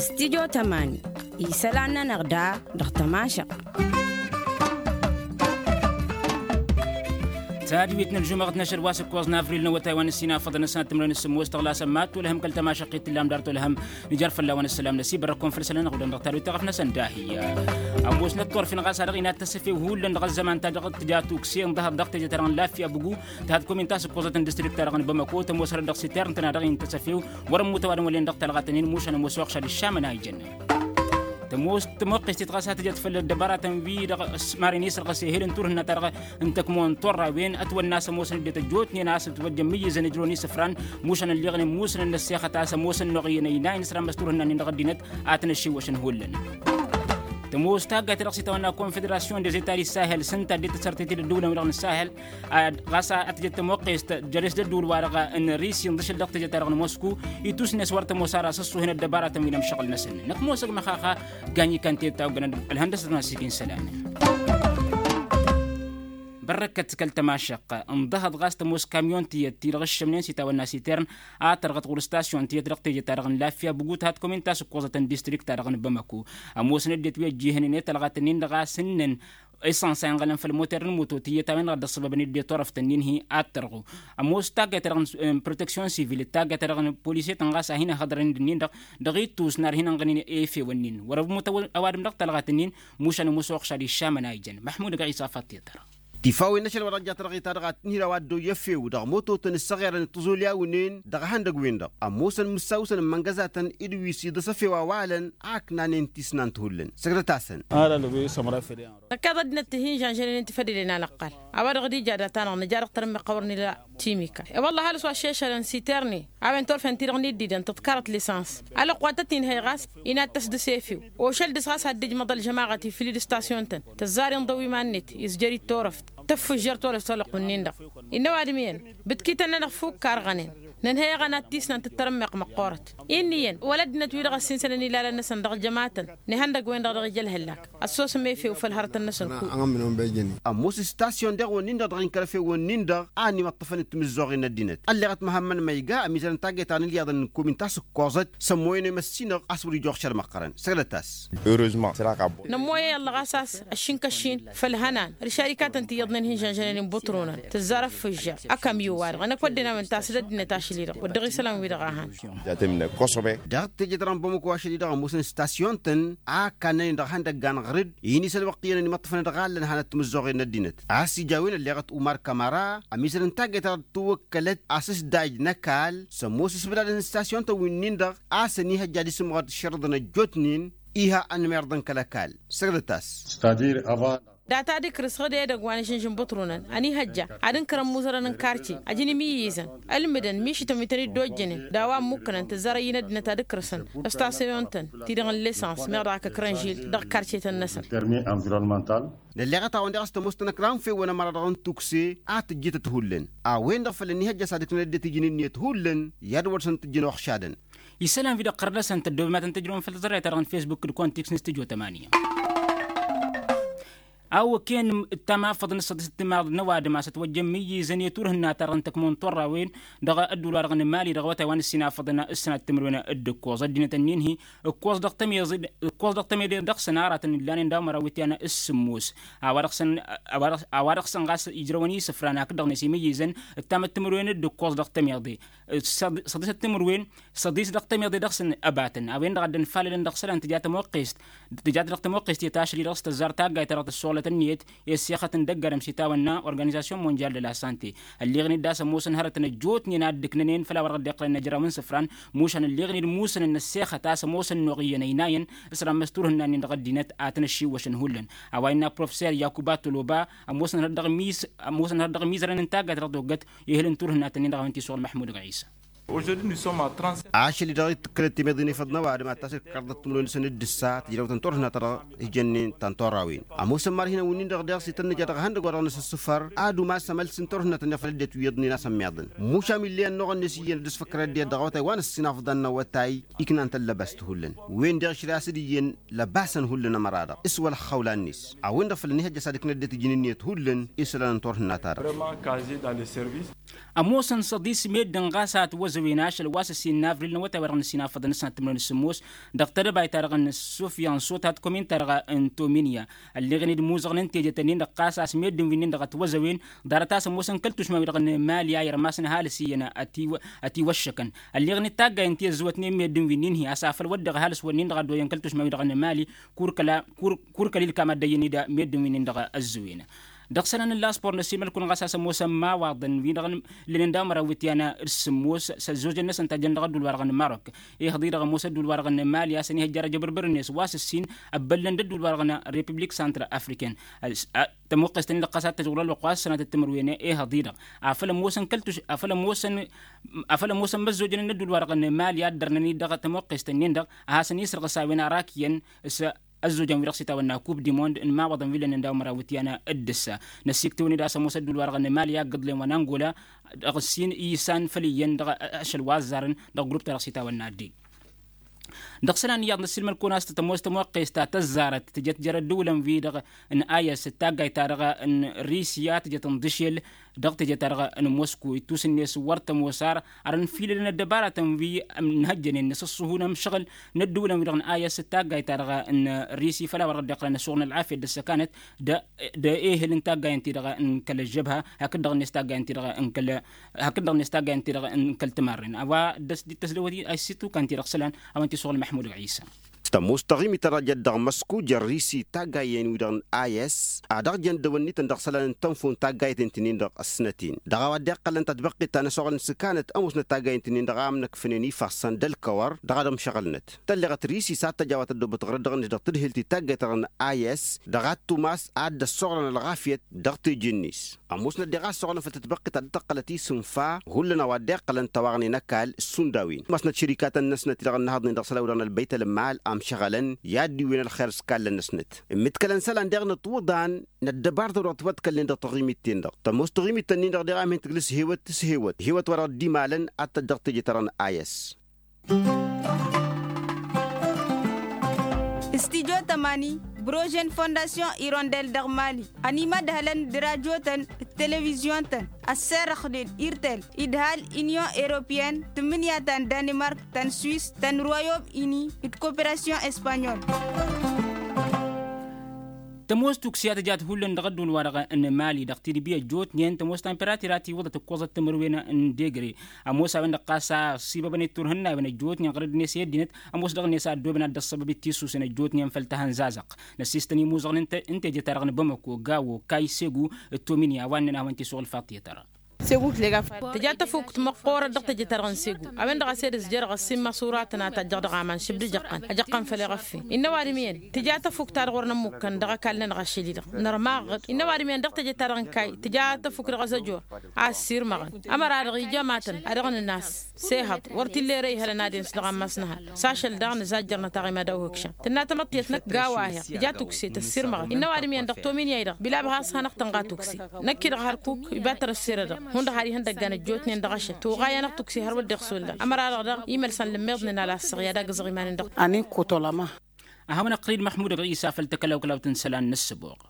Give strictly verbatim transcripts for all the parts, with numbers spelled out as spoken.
Studyo tămani isălan-nănăɣ da dăɣ-tămašăɣt. Tadwit n-ălžumăɣăt n-ašăl wa s-ǝkkoẓ n-avril n-awătay wa n-ǝssin afăḍăn ăsnat timrăwen s-sǝmmos tăɣlasăn ma t-olăhăm kăl-tămašăɣt i-t-tǝllam dar t-olăhăm. Nǝjar fălla-wen ăssălam năsibărrăk-kăwăn făll-isălan ănɣudăn dăɣ-tadwit taɣăf-năsăn dahǝyya. Ămoosnăt turfin ɣas a-dăɣ-inat tăsăfew hullan dăɣ-ăzzăman-ta-dăɣ tǝja tukse ǝnḍăhăt dăɣ-teje-ta-dăɣ n-lafya bǝgu. Tăhăt komin ta s-ǝkkoẓăt n-distrikt-ta-dăɣ n-bamăko tămoos hărăt dăɣ-sitern tăna dăɣ-intăsăfew. Wăr-ămmut ăwadǝm wăllen dăɣ-talɣa-tăn-in mušan ămoos oɣšad iššamăn a ijăn. Tămoos tămoqqest-i-dăɣ ɣas a tǝjăt făll-ăddăbaratăn wi-dăɣ s-maren isălɣăs ehel n-turhǝnna-ta-dăɣ n-tăkmo n-turrawen ătwănna a-s ămoosăn ăddinăt ăjjootnen a-s ǝtwăjjăn imǝyyǝzăn ǝjrăwăn isǝfran. Mušan ălleɣnen musǝnăn n-ăssexăt a-s ămoosăn n-oɣǝyyăn ăynayăn s-ramăs turhǝnna-nin dăɣ-ăddinăt a tăn-ăššiwwăšăn hullan. Tămoos taggayt-ta-dăɣ s-itawănna konfederasyon des etats di sahel s-ǝnta dd-tăssărtet-dd ădduulăn-wi-dăɣ n-sahel. Ɣas a tǝjăt tămoqqest jăres d-ădduul-wa-dăɣ n-risi ǝnḍǝšăl dăɣ-teje-ta-dăɣ n-mosku. Itusnes wăr tămoos ara s-ăṣṣuhen ăddăbaratăn wi n-ămšăɣǝl-năsăn năkk mosăg măxaxa. Ganyikăn teta oggănăn ălhăndăsăt n-asikǝn isălan. Bărrăkkăt kăl-tămašăqq ǝnḍăhăḍ ɣas tămoos kamyon tiyyăt ti-dăɣ ǝššămnen s-itawănna sitern a tărɣăt ɣur-stasyon tiyyăt dăɣ-teje-ta-dăɣ n-lafya bǝgu tăhăt komin ta s-ǝkkoẓătăn distrikt-ta-dăɣ n-bamăko. Ămoosăn ăddinăt wi ăjjihănen i-talɣat-nin-dăɣ a s-ǝnnăn isănsa inɣălăn făll-moter n-moto tiyyăt a-wen-dăɣ dd-ăṣṣăbăbăn dd-e-turăft-nin-hi ad-tărɣu. Ămoos taggayt-ta-dăɣ n-proteksyon sivil d-taggayt-ta-dăɣ n-polisetăn ɣas a hin-ăhhăḍrăn-dd-ǝnnin-dăɣ dăɣ-ittus n-ar hin-ănɣănen efew-ǝnnin wăr-ămmut ăwadǝm dăɣ-talɣat-nin. Mušan ămoos oɣšad iššamăn a ijăn măḥmud ăgg ɣisa făṭṭiṭăr. Tifawen n-ašăl wa dăɣ-jat dăɣ-i ta-dăɣ ad-tǝnhǝy a-wa dd-oyya efew dăɣ-mototăn ǝssăɣerăn d-tiẓulyawen-en dăɣ-ehăndăgg-wen-dăɣ ămoosăn mǝssaw-săn n-imăngăzatăn d-wi s-iḍǝs efew a-wa ălăn a ǝknanen tisnant hullan săgdăt-asăn. Năkk iḍa ăddinăt ti hin-žănžănen ti fădălen alăqqal a-wa dăɣ-dd-ija data-năɣ nǝja dăɣ-tărǝmmeɣt a wăr nǝla timika. E-wălla halǝs wa šešălăn siterni a-wen turfen-ti-dăɣ n-iddidăn tǝḍkarăt lisans. Alăqqal tăt-inhăy ɣas inattăs dăɣ-s efew ošăl dăɣ-s ɣas ad-dd-ijmăḍ ălžămaɣăt ifǝl-dd stasyon-tăn tǝzzar inḍăw iman-net izjăr-dd turăft. Tăffǝžžăr turăft alăqqu-nin-dăɣ. Innă ăwadǝm iyyăn bǝtkităn-nănăɣ fukk karɣănen. Nǝnhăy-aɣăn ad-tisnant d-tarǝmmeɣt măqqoorăt. Inn'-iyyăn wăla ăddinăt-wi-dăɣ ăssinsănăn ilalăn-năsăn dăɣ-jămatăn n-ihăndăgg-wen-dăɣ dăɣ-ija ălhăllak. Ăssosăm efew făll-hărătăn-năsăn. Ămoos istasyon deɣ-wǝnnin-dăɣ dăɣ-inkăl efew-wǝnnin-dăɣ a ănimăṭṭăfăn d-timǝzzoɣen n-ăddinăt ălleɣăt măhămmăn ma iga ămizărăn taggayt ta n-ǝlyaḍăn n-komin ta s-ǝkkoẓăt. S-ămmoyăn i-măssinăɣ a-s wăr-ija oɣšad măqqărăn săgdăt-as. Nămmoy i-ăllăɣ a-s a-s ăššin kăššin făll-ihănan d-išarikatăn ti iyyăḍnen hin-žănžănen inbǝṭrunăn tǝzzar ăffǝžžar. Ăkămyo-wa-dăɣ ănăk wădden a-wen tasǝd ăddinăt ašăl-i-dăɣ wăr dăɣ-isălan-wi-dăɣ a han. Dăɣ-teje-ta-dăɣ n-bamăko ašăl-i-dăɣ ămoosăn istasyon-tăn a ăkannănen dăɣ-ihăndăgga n-aɣrǝd. Inisăn wăqq iyyăn ănimăṭṭăfăn dăɣ-allăn hanăt timǝzzoɣen n-ăddinăt a-s ija a-wen ălleɣăt umar kămăra. Ămizărăn taggayt ta dăɣ-tǝwwăkkălăt asǝsdaj n-ăkall s-ămoos isbǝdadăn istasyon-tăn wi-nin-dăɣ a-s ănihăjja ad-isǝmɣăr d-išărǝḍăn ăjjootnen. Iha ănmirḍăn kăl-ăkall săgdăt-as. Data d-ikrǝs ɣǝdedăgg wa n-ašǝnžǝn bǝṭrunăn ănihăjja ad-ǝnkărăn imuzărăn n-karce ăjǝn imǝyyizăn ǝlmǝdăn mišǝtăn wi tăn-dd-ojjănen d-a-wa ǝmmukkănăn tǝzzar ăyyǝn ăddinăt ad-ǝkrǝsăn. Ăstasyonăn-tăn ti-dăɣ n-lisăns meɣ dăɣ-ak ǝkrăn žil dăɣ-karcetăn-năsăn. Nălleɣăt-awăn-dăɣ a-s tămoos tanăkra n-fewăn ămăra-dăɣ n-tukse a tǝjjǝtăt hullan. A-wen-dăɣ făl ănihăjja s-ad-ǝknăn ăddinăt iji n-ǝnniyăt hullan i-ad-wăr săn-tǝjjǝn oxšadăn. Isălan-wi-dăɣ ɣărnăsăn tăddoobem ad-tăn-tǝjrăwăm făll-tăẓrayt-ta-dăɣ n-fesbuk d-kontiks n-studyo tămanya. Awăken ǝttam afăḍăn s-săḍisăt timaḍ n-ăwadǝm a-s ătwăjjăn imǝyyizăn i-turhǝnna-ta-dăɣ n-tăkmo n-turrawen dăɣ-ădduul-wa-dăɣ n-mali dăɣ-awătay wa n-ǝssin afăḍăn ǝssănat timǝrwen d-ǝkkoẓ ăddinăt ǝnnin-hi. Ǝkkoẓ dăɣ-tămeḍe dăɣ-săn aratăn illanen daw-măraw ityăn s-sǝmmos. A-wa dăɣ-săn ɣas ijrăwăn isǝfran hakd-dăɣ-net imǝyyizăn ǝttamăt timǝrwen d-ǝkkoẓ dăɣ-tămeḍe. Săḍisăt timǝrwen săḍis dăɣ-tămeḍe dăɣ-săn ăbatăn a-wen-dăɣ a dd-ănfalălăn dăɣ-isălan tǝja tămoqqest. Tǝjat dăɣ-tămoqqest i-tašli dăɣ-s tăzzar taggayt-ta-dăɣ tǝssuɣlăt ǝnniyăt i-ăssexăt n-dăgg-adǝm s-itawănna organizasyon mondyal de la sante. Ălleɣen-dd a-s ămoosăn hărătăn ăjjootnen a dd-ǝknănen făll-a-wa dăɣ-dd-iqqălăn ăjrăw n-isǝfran. Mušan ălleɣen-dd musǝnăn n-ăssexăt a-s ămoosăn n-oɣǝyyăn ăynayăn s-rammăs turhǝnna-nin dăɣ-ăddinăt a tăn-ăššiwwăšăn hullan. A-wa innă professer yakuba toloba ămoosăn hărăt dăɣ-mizărăn n-taggayt-ta-dăɣ toggăt ehǝl n-turhǝnna-tăn-in dăɣ-a-wen-t-isuɣǝl măḥmud ɣisa. Ašăl-i-dăɣ itǝkkălăt temeḍe n-efăḍ n-ăwadǝm ad-tasǝkkărḍăt timǝrwen-năsăn d-ǝssa tǝjrăwtăn turhǝnna-ta-dăɣ ijănnen ta n-turrawen. Ămoosăn imarhinăn wǝnnin-dăɣ deɣ s-itănnăj ad-ăɣhăn dăgg-wa-dăɣ năsǝssǝfăr ad-umas amăls n-turhǝnna-tăn-dăɣ făll-ăddinăt wi iyyăḍnen a-s ămmiḍăn. Mušam ill'-iyyăn n-oɣănnes iyyăn ad-ǝsfăkkărăn ăddinăt dăɣ-awătay wa n-ăssinafḍan n-awătay iknan tăllăbast hullan. Wen-deɣ išre a-s dd-iyyăn lăbasăn hullan ămăra-dăɣ s-wăla ăxxăwla-net. A-wen-dăɣ făl ănihăjja s-ad-ikna ăddinăt ijǝn ǝnniyăt hullan i-isălan n-turhǝnna-ta-dăɣ. Ămoosăn săḍis meddǝn ɣas a ătwăzăwen ašăl wa s-ǝssin n-avril n-awătay wa dăɣ-nǝssin afăḍăn n-sănat timǝrwen s-sǝmmos dăɣ-tedăbayt-ta-dăɣ n-sufyan sotat komin-ta-dăɣ n-tominya. Ălleɣăn-dd imuzăɣăn n-teje-ten-in-dăɣ ɣas a-s meddǝn wi-nin-dăɣ ătwăzăwen ḍarăt a-s ămoosăn kăl-tušma-wi-dăɣ n-mali a irmasăn ăhalǝs iyyăn ătiwăššăkăn. Ălleɣăn-dd taggayen ti ăzzăwătnen meddǝn wi-nin-hi a-s afăl wădden ăhalǝs-wǝnnin-dăɣ a dd-oyăn kăl-tušma-wi-dăɣ n-mali. Kur-kăla kur-kăl-ilkam ad-dd-ăyyăn-dd meddǝn wi-nin-dăɣ ăzzăwen. Dăɣ-isălan n-laspor n-ăsimăl-kăwăn ɣas a-s ămoosăn imawaḍăn wi-dăɣ ǝllănen daw-măraw iwǝtyan d-sǝmmos s-ăzzojăn-năsăn tajjăn dăɣ-ăddul-wa-dăɣ n-marok. Ihăḍ-i-dăɣ ămoos ăddul-wa-dăɣ n-mali a-s ănihăjjar ajăbărbăr-net wa s-ǝssin ăbbăllăn d-ăddul-wa-dăɣ n-repiblik santr-afriken. Tămoqqes-ten-in-dăɣ ɣas ad-tăžɣǝl ălwăqq wa s-sănatăt timǝrwen ehăḍ-i-dăɣ afăl ămoosăn kăl-tuš afăl ămoosăn afăl ămoosăn imăzzojăn n-ăddul-wa-dăɣ n-mali a dd-ărnăn-dd dăɣ-tămoqqes-ten-in-dăɣ a hasăn-isrăɣǝs a-wen arak iyyăn s-ăzzojăn wi-dăɣ s-itawănna kub dimond n-imawaḍăn wi lănnen daw-măraw iwǝtyan. D-ǝssa năssiktăwăn-dd a-s ămoos ăddul-wa-dăɣ n-mali a ǝggǝḍlen wa n-angola dăɣ-ǝssin isan făll-iyyăn dăɣ-ašăl wa ăzzarăn dăɣ-grup-ta-dăɣ s-itawănna dd-e. Dăɣ-isălan iyyăḍ năssiilmăd-kăwăn a-s tămoos tămoqqes ta tăzzarăt tǝjăt jer-ăddǝwǝlăn-wi-dăɣ n-ayăs d-taggayt-ta-dăɣ n-risya tǝjăt n-dăšel dăɣ-teje-ta-dăɣ n-mosko ittus-net wăr tămoos ar ar ănfilălăn ăddăbaratăn wi ǝnhăjjănen năsǝṣṣuhu n-amšăɣǝl n-ăddǝwǝlăn-wi-dăɣ n-ayăs d-taggayt-ta-dăɣ n-risi făll-a-wa dăɣ-dd-iqqălăn ăššuɣǝl n-ălɣafyăt d-ăssăkanăt d-ehel n-taggayen-ti-dăɣ n-kăl-ăžžăbha hakd-dăɣ-net taggayen-ti-dăɣ n-kăl hakd-dăɣ-net taggayen-ti-dăɣ n-kăl tǝmarren a-wa dd-tăsdăwăt a-s itukan-ti-dăɣ isălan a-wen-ti-suɣǝl măḥmud ɣisa. Tămoos taɣimit ta dăɣ-jăt dăɣ-măsku jăr-risi taggayen-wi-dăɣ n-ayăs a dăɣ-jăn dăwănnităn dăɣ-isălan n-tănfun taggayten-ti-nin-dăɣ ăssnăt-in dăɣ-a-wa dd-iqqălăn tatbăqqit ta n-ăsoɣălăn s-kanăt ămoosnăt taggayen-ti-nin-dăɣ a ǝmnăkfănen ifassăn d-ălkăwăr dăɣ-ad-ămšăɣǝlnăt. Tălleɣăt risi s-ad-tăj a-wa tăddoobăt ɣărăt dăɣ-net dăɣ-tǝdhǝlt i-taggayt-ta-dăɣ n-ayăs dăɣ-ad-tumas ad-dd-ăssoɣlăn ălɣafyăt dăɣ-teje-net. Ămoosnăt deɣ a ăssoɣlăn făll-tătbăqqit ta dd-tăqqălăt isǝnfa hullan a-wa dd-iqqălăn tăwaɣnen ăkall s-sundawen ămoosnăt šărikatăn-năsnăt-i-dăɣ ǝnnăhăḍnen dăɣ-isălan wi-dăɣ n-ălbăyt ălmal amšăɣălăn i-ad-dd-iwen ălxer s-kallăn-năsnăt. Ǝmmǝtkălăn isălan deɣ nǝṭwǝḍan n-ăddăbar ta-dăɣ tiwăḍkălnen dăɣ-taɣimit-ten-dăɣ tămoos taɣimit-tăn-in-dăɣ deɣ a mihăn tǝglǝs hewăt s-hewăt hewăt wa dăɣ-dd-imalăn ad-tăjj dăɣ-teje-ta-dăɣ n-ayăs. Studyo tămani, brožen fondasyon irondel dăɣ-mali ănimădhălăn d-radyo-tăn d-televizyon-tăn ăssirăxnen irtel idhal inyon europeyăn tǝmmǝnǝya ta n-danimark ta n-swis ta n-royom ini d-koperasyon espanyol. Tămoos tukse a tǝjat hullan dăɣ-ădduul-wa-dăɣ n-mali dăɣ-tidbi ăjjootnen tămoos tamperatura tiwǝḍăt ǝkkoẓăt timǝrwen n-degre. Ămoos a-wen-dăɣ ɣas a ăṣṣibăbăn i-turhǝnnawen ăjjootnen ɣărăd-net i-ăddinăt ămoos dăɣ-net a ăddoobăn ad-dd-ăṣṣăbăb i-tisusen ăjjootnen făll-tahănzazăɣt. Năssiistăn imuzăɣăn n-teje-ta-dăɣ n-bamăko gawo kayy segu d-tominya a-wa ǝnnăn ad-hawăn-t-isuɣǝl faḍt i-tăra. Tǝja tafukt măqqoorăt dăɣ-teje-ta-dăɣ n-segu. A-wen-dăɣ a-s edăs jer-ɣas s-immăṣuratăn a tajjăɣ dăɣ-aman šibd ijăqqăn ăjăqqăn făll-eɣăf. Innă ăwadǝm iyyăn tǝja tafukt-ta-dăɣ wăr nămmukkăn dăɣ-ăkall-nănăɣ ašăl-i-dăɣ nărmaɣ-dd innă ăwadǝm iyyăn dăɣ-teje-ta-dăɣ n-kayy tǝja tafukt dăɣ-azăjor a ăssirmăɣăn. Ămăra-dăɣ ija matăn a dăɣ-nǝnas s-ehăḍ wăr t-illa erăy ihălăn ad-en s-dăɣ-ammas n-ehăl. S-ašăl daɣ nǝzajjăr nătaɣ i-mad-awhǝkšăn tǝnna tamăḍt tiyyăt năkk gawa-hi-ăɣ tǝja tukse tăssirmăɣăn innă ăwadǝm iyyăn dăɣ-tominya-i-dăɣ bilab has-hanăɣ-tǝnɣa tukse. Năkk-i-dăɣ hărkuk iba tărăsserădăɣ hundăɣ har ihăndăggan ăjjootnen dăɣ-ašăl toɣa i-anăɣ tukse hărwa dd-iɣsǝllan ămăra-dăɣ daɣ imălsăn lǝmmiḍnen a lassăɣ i-ad-agǝzăɣ iman-en dăɣ-t. Ad-hawăn-ăqqălăn d-măḥmud ɣisa făll-takălawkălawt n-isălan n-ăssăboɣ.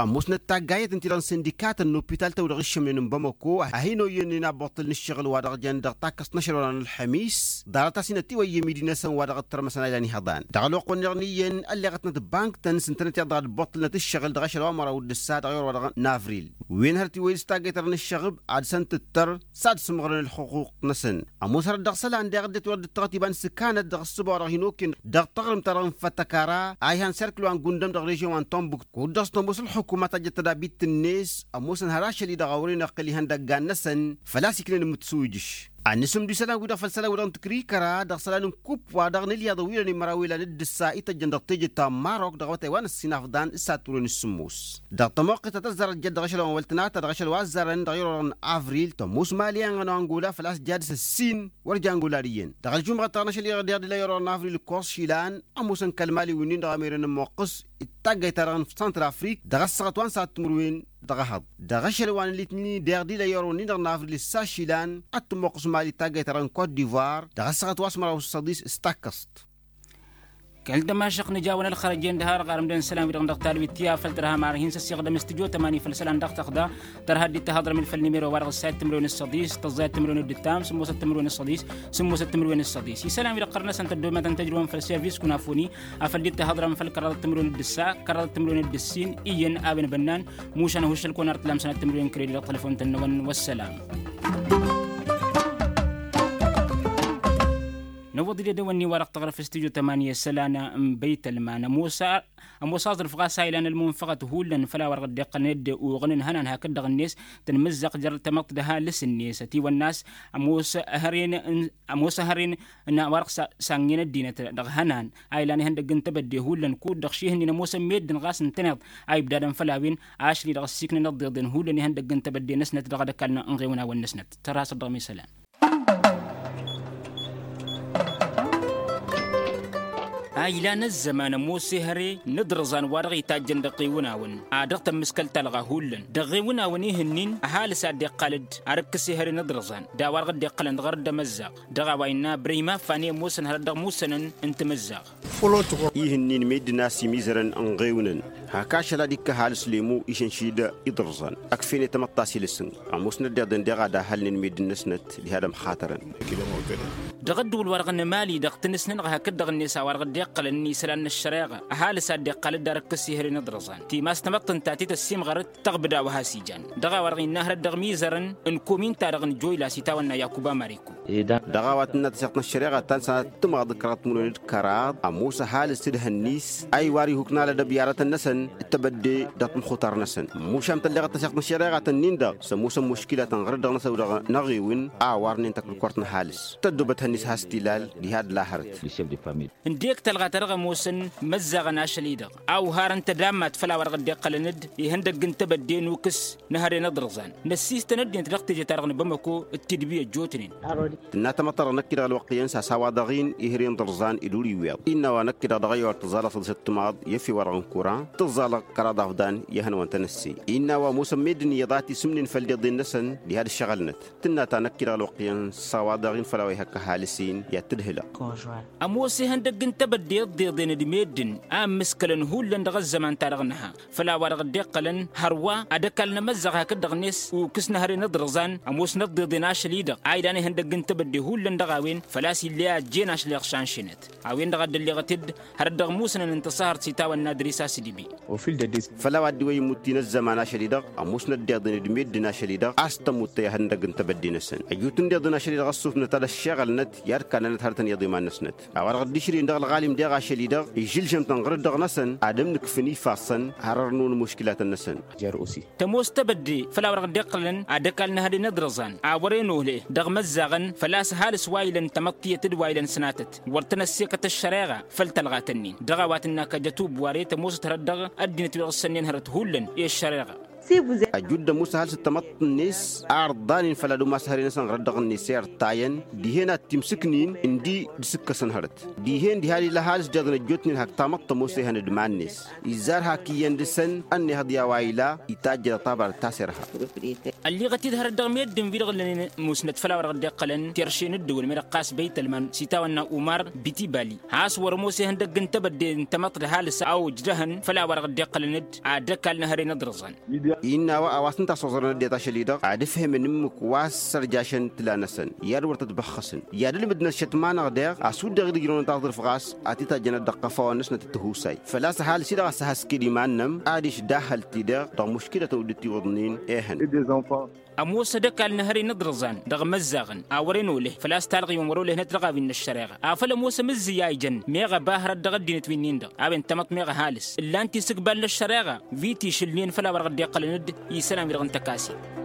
Ămoosnăt taggayyăt ǝnta-i-dăɣ n-sindikatăn n-opital-tăn wi-dăɣ iššămnen n-bamăko a hin-oyyănnen abbuṭṭǝl n-ǝššăɣǝl wa dăɣ-jăn dăɣ-takkăst n-ašăl wa dăɣ-n ălxămis. Ḍarăt-as-in ătiwăyyăm idinăsăn wa dăɣ-dd-tărmăsăn a ilan ihăḍan dăɣ-ălwăqq-wǝnneɣ n-iyyăn ălleɣătnăt bank-tăn s-ǝntănăt iyyăḍ dăɣ-ad-ǝbbuṭṭǝlnăt ǝššăɣǝl dăɣ-ašăl wa măraw d-ǝssa dăɣ-iwăr wa dăɣ-navril. Wen hărăt iwwăy s-taggayt-ta-dăɣ n-ǝššăɣǝb ad-săn-tǝttăr s-ad-sǝmɣărăn ălxuqquq-năsăn. Ămoos hărăt dăɣ-isălan daɣ ăddinăt wăr dd-tăɣăt iba n-sǝkkanăt dăɣ-ǝssǝba wa dăɣ-hin-okǝn dăɣ-taɣrǝmt-ta-dăɣ n-fătăkara a ihan serkǝl wa n-gundăm dăɣ-režion wa n-tombuk kud-dăɣ s-tămoos ălxukum a tajjăt tădabit-net. Ămoosăn har ašăl-i-dăɣ a wăren ăqqǝl ihăndăggan-năsăn făl-a-s iknen imǝtsuwǝjǝš. Ănn-asǝmdu isălan-wi-dăɣ făll-isălan-wi-dăɣ n-tǝkrikăra dăɣ-isălan n-kup wa dăɣ-nǝlyaḍăn wi dăɣ-nimăraw ilan d-ǝssa ităjjăn dăɣ-teje ta n-marok dăɣ-awătay wa n-ăssinafḍan s-ad-timǝrwen s-sǝmmos. Dăɣ-tămoqqit ta tăzzarăt jăt dăɣ-ašăl wa n-wăl tǝnata dăɣ-ašăl wa ăzzarăn dăɣ-i-dăɣ n-avril tămoos mali-en n-angola făl-a-s jadǝs ăssin wăr ja angola d-iyyăn. Dăɣ-aljumɣăt ta n-ašăl-i-dăɣ deɣ d-ila i-orăɣ n-avril ǝkkoẓ išilan ămoosăn kăl-mali wi-nin-dăɣ a meren ămmoqqăs d-taggayt-ta-dăɣ n-săntrafrik dăɣ-ăssaɣăt wa n-sad-timǝrwen dăɣ-ehăḍ. Dăɣ-ašăl wa n-alitni deɣ d-ila i-orăɣ wi-nin-dăɣ n-avril ǝssa išilan ad-tămmoqqăs mali d-taggayt-ta-dăɣ n-kot divoir dăɣ-ăssaɣăt wa s-măraw s-săḍis s-takkăẓt. Kăl-tămašăɣt nǝjawăn ălxărăjen d-har ɣarăm d-ănn isălan-wi-dăɣ dăɣ-talwit ti afăl tărha marhin s-ăssiɣdăm s-tǝjo tămani făll-isălan dăɣ-tăɣda. Tărha dd-ittăhăḍrăm-dd făll-nimero-wa-dăɣ ǝssayăt timǝrwen s-săḍis tăẓẓayăt timǝrwen d-ǝttam sǝmmosăt timǝrwen s-săḍis sǝmmosăt timǝrwen s-săḍis isălan-wi-dăɣ ɣărnăsăn tăddomatăn tăjrǝwăn făll-servis kunafuni afăl dd-ittăhăḍrăm făll-kăraḍăt timǝrwen d-ǝssa kăraḍăt timǝrwen d-ǝssin iyyăn a-wen bănnan. Mušan ăhuššăl-kăwăn ar t-lamsănăt timǝrwen n-kredi dăɣ-telăfon-tăn-năwăn wăssălam. Năwwăḍ-dd edăwănni-wa-dăɣ tăɣrăf s-tijo tămani isălan n-băytălman ămoos aẓrǝf ɣas a ilan ălmunfăɣăt hullan făll-a-wa-dăɣ dd-iqqălăn dd-uɣǝn n-ihănan hakd-dăɣ-net tǝnmǝzzăɣ jer-tamăḍt d-ăhalǝs-net ătiwănna a-s ămoos hăren n-a-wa-dăɣ s-angen ăddinăt dăɣ-ihănan a ilan ihăndăgg n-tebădde hullan kud-dăɣ šihǝnnin ămoosăn meddǝn ɣas ǝntăneḍ a ibdadăn făll-a-wen ašăl-i-dăɣ ăssiiknăn ăḍḍeḍen hullan ihăndăgg n-tebădde-năsnăt dăɣ-edăkal n-inɣewǝnawăn-năsnăt. Tărha s-ăddăɣ mi-isălan. A ilan ăzzăman ămoos ehăre n-aḍrǝẓan wa dăɣ-itajjăn dăɣ-iwǝnawăn a dăɣ-tămmǝskăl talɣa hullan dăɣ-iwǝnawăn ihǝnnin ăhalǝs a dd-iqqal-dd ar ǝkkǝs ehăre n-aḍrǝẓan d-a-wa dăɣ-dd-iqqălăn dăɣ-arăt d-amăzzaɣ. Dăɣ-a-wa innă bărăy mafan i-ămoosăn hărăt dăɣ-imusănăn n-tamǝzzaɣ. Ihǝnnin meddǝn a-s imizărăn ǝnɣewnăn hak ašăl ad-ikk' ăhalǝs lemo išănšid iḍrǝẓan ăkf'-en i-tamăḍt ta s-ilǝsǝng. Ămoosnăt deḍen deɣ ad-ahălnen meddǝn-năsnăt diha d-ămxatărăn. Dăɣ-ăddǝwǝl-wa-dăɣ n-emali-dăɣ tăn-ǝsnănăɣ hakd-dăɣ-net a-wa-dăɣ dd-iqqălăn n-isălan n-ăššăreɣa ăhalǝs a dd-iqqal dd-ar ǝkkǝs ehăre n-iḍrǝẓan timas tamăḍt ǝnta a t-tăssiimɣărăt tăɣbǝd a-wa has-ijan. Dăɣ-a-wa-dăɣ innă hărăt dăɣ-imizărăn n-komin-ta-dăɣ n-joyla s-itawănna yakuba mariku. Dăɣ-a-wa tǝnna tăseɣt n-ăššăreɣa ta n-sănatăt tǝmɣăḍ d-kăraḍăt timǝrwen d-kăraḍ ămoos ăhalǝs tǝdhăn-is a iwar ihuk n-alădăb i-aratăn-năsăn d-tebădde dăɣ-tǝmxutar-năsăn. Mušam tălleɣăt tăseɣt n-ăššăreɣa-tăn-in-dăɣ s-ămoosăn muškilatăn ɣărăt dăɣ-năsăw dăɣ-năɣewǝn a warnen takǝlkort n-ăhalǝs tăddobăt hăn-is has-tilal diha d-lahărăt. Ǝndek talɣa ta dăɣ-ămoosăn măzzaɣăn ašăl-i-dăɣ a uharăn tădammat făll-a-wa dăɣ-dd-iqqălăn-dd ihăndăgg n-tebădde n-ukǝs n-ehăre n-aḍrǝẓan. Năssiistăn ăddinăt dăɣ-teje-ta-dăɣ n-bamăko d-tidbi ăjjootnen. Tǝnna tamăḍt-ta-dăɣ năkk-i-dăɣ ălwăqq iyyăn s-a-s a-wa dăɣ-in ehăre n-iḍrǝẓan ed ur-iwweḍ. Innă a-wa năkk-i-dăɣ dăɣ-ăyy wăr tǝẓẓalăɣ săḍisăt timaḍ i-efew-wa-dăɣ n-kuran tǝẓẓalăɣ kăraḍ afḍan i-ihănăwăn-tăn ăssey. Innă a-wa ămoosăn meddǝn iyyăḍ a t-isǝmnen făll-deḍen-năsăn diha d-ǝššăɣălnăt. Tǝnna ta năkk-i-dăɣ ălwăqq iyyăn s-a-wa dăɣ-in făll-a-wa ihăkk ăhalǝs-in i-ad-t-ǝdhǝlăɣ. Ămoos ihăndăgg n-tebădde ǝḍḍeḍen d-meddǝn a ǝmmǝskălăn hullan dăɣ-ăzzăman-ta-dăɣ nǝha făll-a-wa dăɣ-dd-iqqălăn hărwa ad-ăkall n-amăzzaɣ hakd-dăɣ-net ukǝs n-ehăre n-iḍrǝẓan. Ămoosnăt ḍeḍen ašăl-i-dăɣ a ilan ihăndăgg n-tebădde hullan dăɣ-a-wen făl-a-s ill'-e a ăjjeen ašăl iɣšan šenăt. A-wen-dăɣ a dd-ălleɣăt-dd hărăt dăɣ-musnăn n-tăṣahărt s-itawănna d-risa s-dibi. Făll-a-wa dd-iwăy imutti n-ăzzăman ašăl-i-dăɣ ămoosnăt deḍen d-meddǝn ašăl-i-dăɣ a-s tămuttăy ihăndăgg n-tebădde-năsăn ăjut n-deḍen ašăl-i-dăɣ ăssufnăt ad-ăššeɣălnăt i-ad-kannănăt hărătăn iyyăḍ iman-năsnăt. A-wa-dăɣ dd-išrǝyăn dăɣ-ălɣalim deɣ ašăl-i-dăɣ ižǝlžăm-tăn ɣur-dd dăɣ-năsăn ad-ămnǝkfǝn ifassăn har ărnun muškilatăn-năsăn. Tămoos tebădde făll-a-wa dăɣ-dd-iqqălăn ad-ăkall n-ehăre n-iḍrǝẓan a wăren ohle dăɣ-imăzzaɣăn făl-a-s ăhalǝs wa ilăn tamăḍt tiyyăt d-wa ilăn sănatăt wăr tăn-ăssiikăt ăššăreɣa. Făll-tălɣat-ǝnnin dăɣ-a-wa tǝnna kăjăt ubware tămoosăt hărăt dăɣ-ăddinăt wi dăɣ-s sănnen hărăt hullan i-ăššăreɣa. Ăjut d-ămoos ăhalǝs d-tamăḍt-net a ărḍanen făll-ad-umas ehăre-năsăn ɣur-dd dăɣ-net i-ărṭayăn dihen ad-t-imsǝknin ǝndi d-sǝkkăsăn hărăt dihen diha d-ila ăhalǝs deḍen ăjjootnen hak tamăḍt tămoos ehăn d-iman-net. Izzar hak iyyăn dăɣ-săn ănnihăḍ i-a-wa ila itajjăd ăṭṭabar d-taserha. Ălliɣăt-dd hărăt dăɣ-meddǝn-wi-dăɣ ǝllănen musnăt făll-a-wa dăɣ-dd-iqqălăn terše n-ǝddǝwǝl meddǝn ɣas băytălman s-itawănna umar bitibali has-wăr-ămoos ihăndăgg n-tebădde n-tamăḍt d-ăhalǝs a ojdăhăn făll-a-wa dăɣ-dd-iqqălăn-dd ad-ăkall n-ehăre n-iḍrǝẓan. Innă a-wa a-wa s-ǝnta a-s oẓrăn ăddinăt ašăl-i-dăɣ ad-ǝfhǝmăn ǝmmǝk wa s-sărjašăn tǝla-năsăn i-ad-wăr tăt-băxxăsăn i-ad-ǝlmǝdnăt šătmanăɣ daɣ a-s wǝdden dd-ijrăwăn taẓrǝft ɣas a t-itajjănăt dăɣ-iqăfawăn-năsnăt d-tihusay făl-a-s ăhalǝs-i-dăɣ a s-ăhhăsked iman-nănăɣ ad-išdahhăl-t-i-dăɣ dăɣ-muškǝlătăn wi dd-itiwǝḍnen ehăn. Ămoos ad-ăkall n-ehăre n-iḍrǝẓan dăɣ-imăzzaɣăn a wăren oleh făl-a-s talɣiwăn wăr-olăhnăt dăɣ-a-wen n-ăššăreɣa afăl ămoos amǝzzǝy a ijăn meɣ ăba hărăt dăɣ-ăddinăt wi-nin-dăɣ a-wen tamăḍt meɣ ăhalǝs ǝllan-t isǝgbal n-ăššăreɣa wi t-išǝlnen făll-a-wa dăɣ-dd-iqqălăn-dd isălan-wi-dăɣ n-tăkasit.